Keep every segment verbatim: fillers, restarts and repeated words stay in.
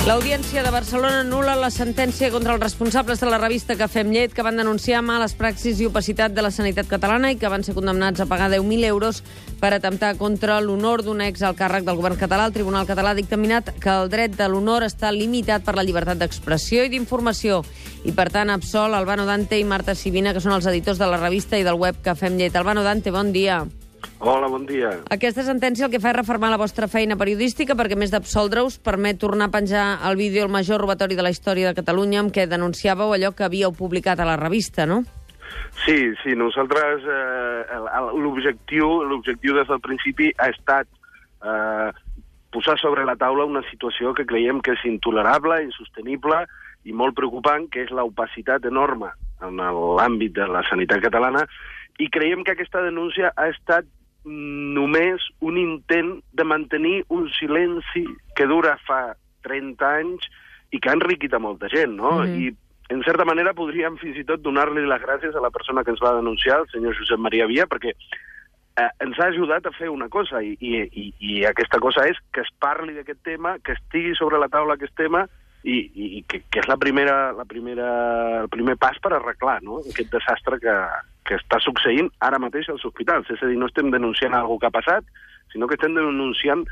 L'Audiència de Barcelona anul·la la sentència contra els responsables de la revista Cafè amb llet que van denunciar males praxis i opacitat de la sanitat catalana i que van ser condemnats a pagar deu mil euros per atemptar contra l'honor d'un ex al càrrec del govern català. El Tribunal Català ha dictaminat que el dret de l'honor està limitat per la llibertat d'expressió i d'informació i, per tant, absol Albano Dante i Marta Sibina, que són els editors de la revista i del web Cafè amb llet. Albano Dante, bon dia. Hola, bon dia. Aquesta sentència el que fa és reformar la vostra feina periodística perquè, a més d'absoldre-us, permet tornar a penjar el vídeo El major robatori de la història de Catalunya amb què denunciàveu allò que havíeu publicat a la revista, no? Sí, sí, nosaltres eh, l'objectiu l'objectiu des del principi ha estat eh, posar sobre la taula una situació que creiem que és intolerable, insostenible i molt preocupant, que és l'opacitat enorme en l'àmbit de la sanitat catalana, i creiem que aquesta denúncia ha estat només un intent de mantenir un silenci que dura fa trenta anys i que ha enriquit a molta gent, no? Mm-hmm. I, en certa manera, podríem fins i tot donar-li les gràcies a la persona que ens va denunciar, el senyor Josep Maria Via, perquè eh, ens ha ajudat a fer una cosa, i, i, i, i aquesta cosa és que es parli d'aquest tema, que estigui sobre la taula aquest tema, i, i que, que és la primera, la primera, el primer pas per arreglar, no?, aquest desastre que, que està succeint ara mateix als hospitals. És a dir, no estem denunciant alguna que ha passat, sinó que estem denunciant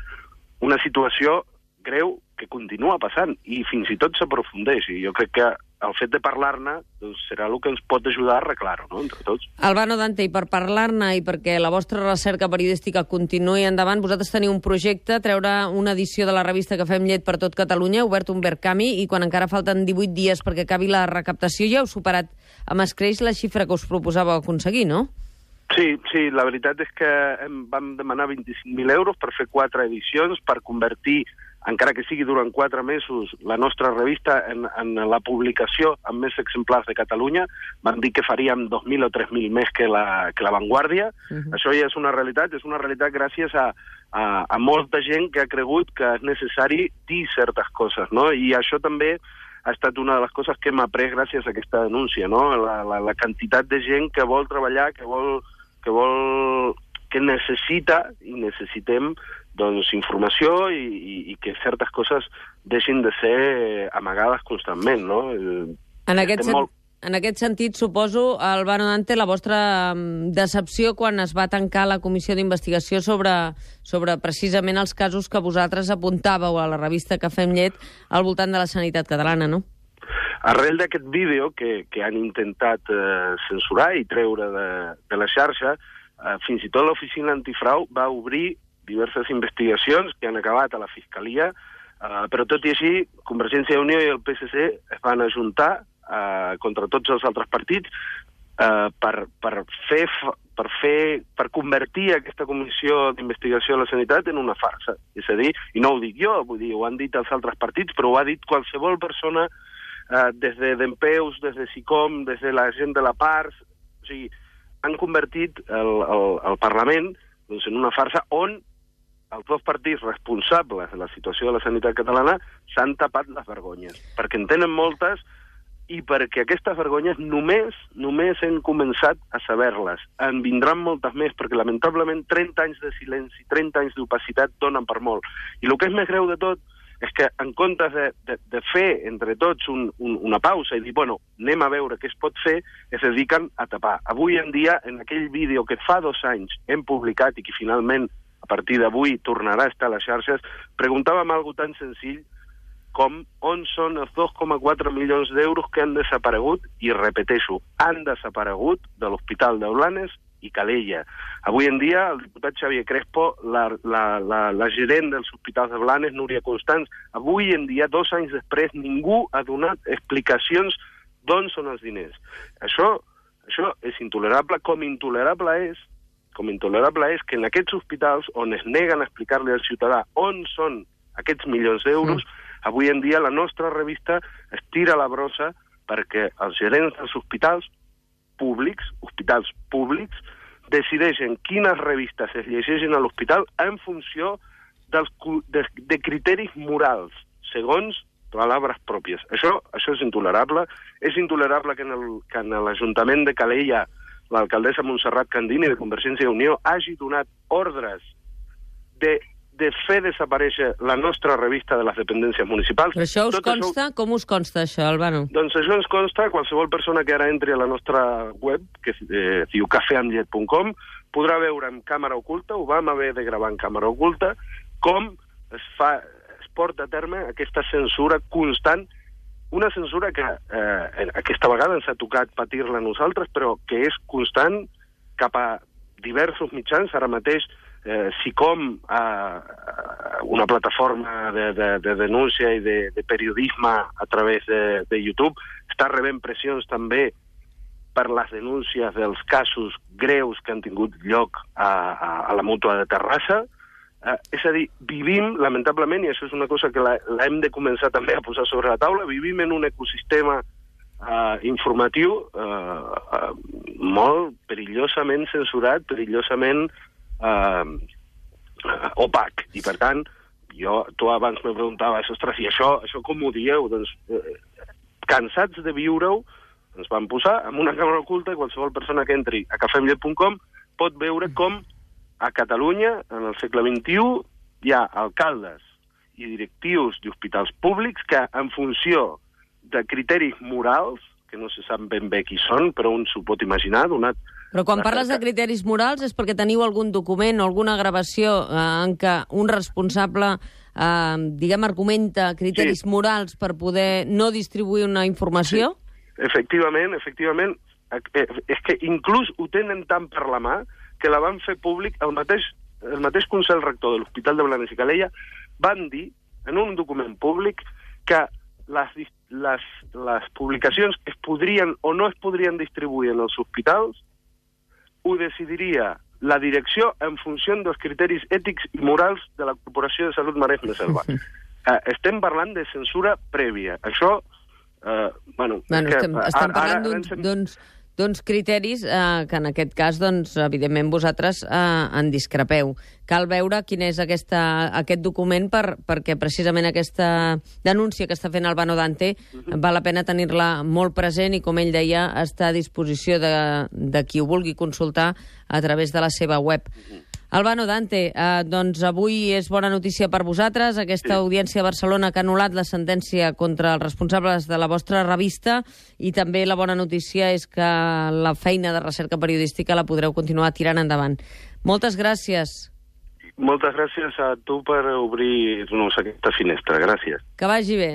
una situació greu que continua passant i fins i tot s'aprofundeix. I jo crec que el fet de parlar-ne doncs, serà el que ens pot ajudar a arreglar-ho, no?, entre tots. Albano Dante, i per parlar-ne i perquè la vostra recerca periodística continuï endavant, vosaltres teniu un projecte, treure una edició de la revista Cafè amb llet per tot Catalunya, obert un Verkami, i quan encara falten divuit dies perquè acabi la recaptació ja heu superat amb escreix la xifra que us proposàveu aconseguir, no? Sí, sí, la veritat és que vam demanar vint-i-cinc mil euros per fer quatre edicions, per convertir, encara que sigui durant quatre mesos, la nostra revista en, en la publicació amb més exemplars de Catalunya. Vam dir que faríem dos mil o tres mil més que la, que la Vanguardia. Uh-huh. Això ja és una realitat, és una realitat gràcies a, a, a molta gent que ha cregut que és necessari dir certes coses, no? I això també ha estat una de les coses que hem après gràcies a aquesta denúncia, no? La, la, la quantitat de gent que vol treballar, que vol, que vol, que necessita i necessitem doncs, informació i, i, i que certes coses deixin de ser amagades constantment, no? En aquest, sen molt... en aquest sentit, suposo, Albano Dante, la vostra decepció quan es va tancar la comissió d'investigació sobre, sobre precisament els casos que vosaltres apuntàveu a la revista Cafè amb llet al voltant de la sanitat catalana, no? Arrel d'aquest vídeo que, que han intentat eh, censurar i treure de, de la xarxa, eh, fins i tot l'oficina antifrau va obrir diverses investigacions que han acabat a la Fiscalia, eh, però tot i així, Convergència i Unió i el P S C es van ajuntar eh, contra tots els altres partits eh, per, per, fer, per, fer, per convertir aquesta comissió d'investigació de la sanitat en una farsa. És a dir, i no ho dic jo, vull dir, ho han dit els altres partits, però ho ha dit qualsevol persona, eh, des de Dempeus, des de SICOM, des de la gent de la Pars. O sigui, han convertit el, el, el Parlament doncs, en una farsa on els dos partits responsables de la situació de la sanitat catalana s'han tapat les vergonyes, perquè en tenen moltes i perquè aquestes vergonyes només només hem començat a saber-les. En vindran moltes més, perquè lamentablement trenta anys de silenci, trenta anys d'opacitat donen per molt. I el que és més greu de tot és que en comptes de, de, de fer entre tots un, un, una pausa i dir, bueno, anem a veure què es pot fer, es dediquen a tapar. Avui en dia, en aquell vídeo que fa dos anys hem publicat i que finalment a partir d'avui tornarà a estar a les xarxes, preguntàvem algo tan senzill com on són els dos coma quatre milions d'euros que han desaparegut, i repeteixo, han desaparegut de l'Hospital de Blanes i Calella. Avui en dia, el diputat Xavier Crespo, la, la, la, la gerent dels hospitals de Blanes, Núria Constants, avui en dia, dos anys després, ningú ha donat explicacions d'on són els diners. Això, això és intolerable, com intolerable és com intolerable és que en aquests hospitals on es neguen a explicar-li al ciutadà on són aquests milions d'euros, mm. avui en dia la nostra revista es tira la brossa perquè els gerents dels hospitals públics, hospitals públics, decideixen quines revistes es llegeixen a l'hospital en funció dels, de, de criteris morals, segons paraules pròpies. Això, això és intolerable. És intolerable que en, el, que en l'Ajuntament de Calella l'alcaldessa Montserrat Candini de Convergència i Unió hagi donat ordres de de fer desaparèixer la nostra revista de les dependències municipals. Però això us Tot consta? Això... Com us consta, això, Albano? Doncs això ens consta. Qualsevol persona que ara entri a la nostra web, que eh, diu cafè amb llet punt com, podrà veure en càmera oculta, ho vam haver de gravar en càmera oculta, com es fa, es porta a terme aquesta censura constant, una censura que eh, aquesta vegada ens ha tocat patir-la a nosaltres, però que és constant cap a diversos mitjans. Ara mateix eh, SICOM, eh, una plataforma de, de, de denúncia i de, de periodisme a través de, de YouTube, està rebent pressions també per les denúncies dels casos greus que han tingut lloc a, a, a la Mútua de Terrassa. Eh, és a dir, vivim, lamentablement, i això és una cosa que l'hem de començar també a posar sobre la taula, vivim en un ecosistema Uh, informatiu uh, uh, molt perillosament censurat, perillosament uh, uh, opac. I, per tant, jo, tu abans me preguntaves, ostres, i això, això com ho dieu? Doncs, uh, cansats de viure-ho, ens vam posar amb una càmera oculta i qualsevol persona que entri a cafè amb llet punt com pot veure com a Catalunya, en el segle vint-i-u, hi ha alcaldes i directius d'hospitals públics que, en funció de criteris morals, que no se sap ben bé qui són, però un s'ho pot imaginar, donat... Però quan parles de criteris morals és perquè teniu algun document o alguna gravació eh, en què un responsable, eh, diguem, argumenta criteris sí. morals per poder no distribuir una informació? Sí. Efectivament, efectivament. És que inclús ho tenen tant per la mà que la van fer públic el mateix, el mateix Consell Rector de l'Hospital de Blanes i Calella van dir en un document públic que les, les, les publicacions que es podrien o no es podrien distribuir en els hospitals ho decidiria la direcció en funció dels criteris ètics i morals de la Corporació de Salut Maresme-Selva. eh, estem parlant de censura prèvia. Això, eh, bueno... bueno que, estem, estem parlant d'uns... Sem... d'uns criteris eh, que en aquest cas, doncs, evidentment, vosaltres eh, en discrepeu. Cal veure quin és aquesta, aquest document per, perquè precisament aquesta denúncia que està fent Albano Dante uh-huh. val la pena tenir-la molt present i, com ell deia, està a disposició de, de qui ho vulgui consultar a través de la seva web. Uh-huh. Albano Dante, eh, doncs avui és bona notícia per vosaltres, aquesta sí. audiència a Barcelona que ha anul·lat la sentència contra els responsables de la vostra revista, i també la bona notícia és que la feina de recerca periodística la podreu continuar tirant endavant. Moltes gràcies. Moltes gràcies a tu per obrir-nos aquesta finestra. Gràcies. Que vagi bé.